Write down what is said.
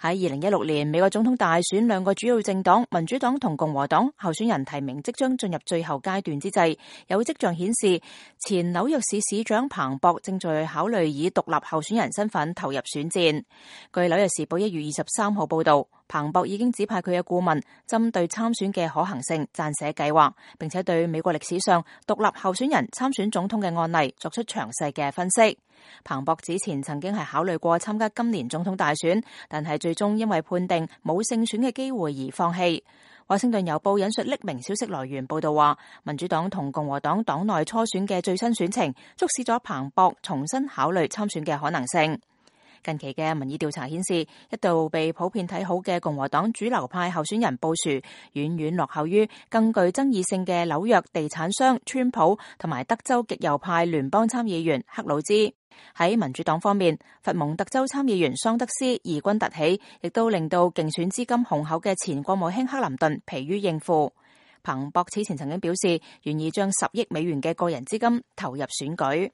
喺2016年美國總統大選，兩個主要政黨民主黨同共和黨候選人提名即將進入最後階段之際，有跡象顯示前紐約市市長彭博正在考慮以獨立候選人身份投入選戰。據紐約時報1月23號報道，彭博已經指派佢嘅顧問針對參選嘅可行性撰寫計劃，並且對美國歷史上獨立候選人參選總統嘅案例作出詳細嘅分析。彭博之前曾經係考慮過參加今年總統大選，但係最終因為判定冇勝選嘅機會而放棄。華盛頓郵報引述匿名消息來源報道話，民主黨同共和黨黨內初選嘅最新選情，促使咗彭博重新考慮參選嘅可能性。近期嘅民意調查顯示，一度被普遍睇好嘅共和黨主流派候選人布殊，遠遠落後於更具爭議性嘅紐約地產商川普同埋德州極右派聯邦參議員克魯茲。喺民主黨方面，佛蒙特州參議員桑德斯異軍突起，亦都令到競選資金雄厚嘅前國務卿克林頓疲於應付。彭博此前曾經表示，願意將10億美元嘅個人資金投入選舉。